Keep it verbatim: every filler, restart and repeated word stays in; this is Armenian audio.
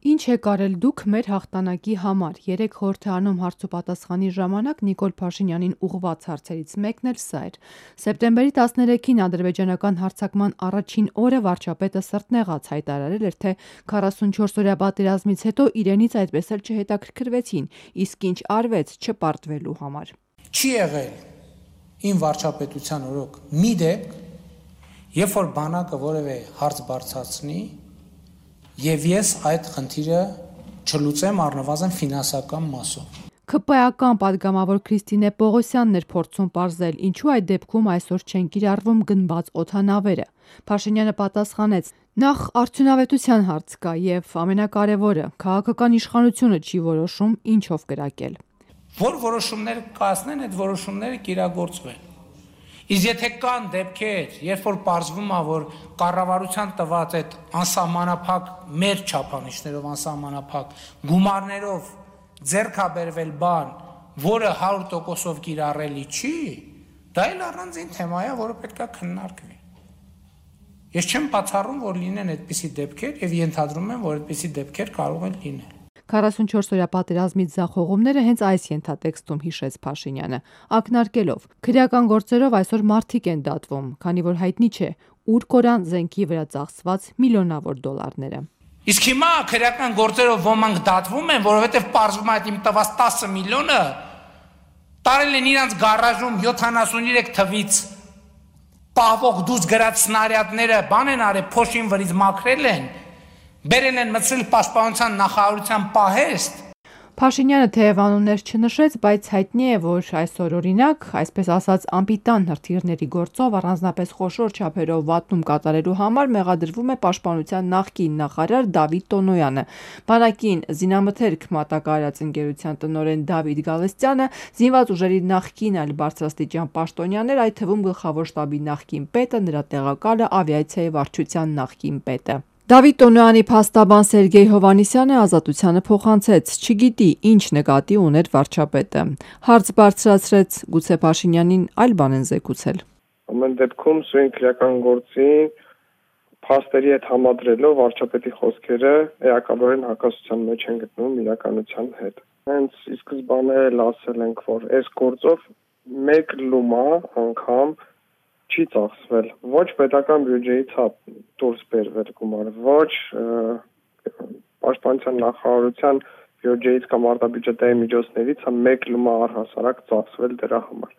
Ինչ եք արել դուք մեր հաղթանակի համար։ Երեք խորհրդարանում հարցուպատասխանի ժամանակ Նիկոլ Փաշինյանին ուղղված հարցերից մեկն էլ սա էր։ Սեպտեմբերի տասներեքին ադրբեջանական հարձակման առաջին օրը վարչապետը սրտնեղած հայտարարել էր, թե քառասունչորս օրյա պատերազմից հետո իրենից այդպես էլ չհետաքրքրվեցին, իսկ ինչ արվեց չպարտվելու համար։ Չի եղել իմ վարչապետության օրոք մի դեպք, երբ որ բանակը որևէ հարց բարձրացնի, եւ ես այդ խնդիրը չլուծեմ առնվազն ֆինանսական մասով։ ՔՊ-ական պատգամավոր Քրիստինե Պողոսյանն էր փորձում պարզել, ինչու այդ դեպքում այսօր չեն կիրառվում գնված օդանավերը։ Փաշինյանը պատասխանեց. նախ արդյունավետության հարց կա եւ ամենակարևորը, քաղաքական իշխանությունը չի որոշում ինչով կրակել։ Որ որոշումներ կայացնեն, այդ որոշումները կիրագործվեն։ Իսկ եթե կան դեպքեր, երբ որ պարզվում է, որ կառավարության տված այդ անսահմանափակ մեր չափանիշներով անսահմանափակ գումարներով ձեռք է բերվել բան, որը հարյուր տոկոսով կիրառելի չի, դա էլ առանձին թեմա է, որը պետք է քննարկվի։ Ես չեմ բացառում, որ լինեն այդպիսի դեպքեր եւ ենթադրում եմ, որ այդպիսի դեպքեր կարող են լինել։ քառասունչորս օրյա պատերազմից ձախողումները հենց այս ենթատեքստում հիշեց Փաշինյանը, ակնարկելով. քրեական գործերով այսօր մարդիկ են դատվում, քանի որ հայտնի չէ ուր կորան զենքի վրա ծախսված միլիոնավոր դոլարները։ Իսկ հիմա քրեական գործերով ոմանք դատվում են, որովհետեւ պարզվում է այդ իմ տված տասը միլիոնը տարել են իրանց գարաժում յոթանասուներեք թվից պահվող դուրս գրած սնարյադները, բան են արել, փոշին վրից մաքրել են, բերել են մտցրել պաշտպանության նախարարության պահեստ։ Փաշինյանը թեև անուններ չնշեց, բայց հայտնի է, որ այսօր օրինակ, այսպես ասած անպիտան հրթիռների գործով առանձնապես խոշոր չափերով վատնում կատարելու համար մեղադրվում է պաշտպանության նախկին նախարար Դավիթ Տոնոյանը։ Բանակին զինամթերք մատակարարած ընկերության տնօրեն Դավիթ Գալստյանը, զինված ուժերի նախկին այլ բարձրաստիճան պաշտոնյաներ, այդ թվում գլխավոր շտաբի նախկին պետը, նրա տեղակալը, ավիացիայի վարչության նախկին պետը։ Դավիթ Տոնոյանի փաստաբան Սերգեյ Հովհաննիսյանը Ազատությանը փոխանցեց. չգիտի ինչ նկատի ուներ վարչապետը։ Հարց բարձրացրեց, գուցե Փաշինյանին այլ բան են զեկուցել։ Ամեն դեպքում սույն քրեական գործին փաստերի հետ համադրելով վարչապետի խոսքերը էականորեն հակասության մեջ են գտնվում իրականության հետ։ Հենց ի սկզբանե ասել ենք, որ այս գործով մեկ լումա անգամ չի ծախսվել, ոչ պետական բյուջեից է դուրս բերվել գումար, ոչ պաշտպանության նախարարության բյուջեից կամ արտաբյուջետային միջոցներից է մեկ լումա առհասարակ ծախսվել դրա համար։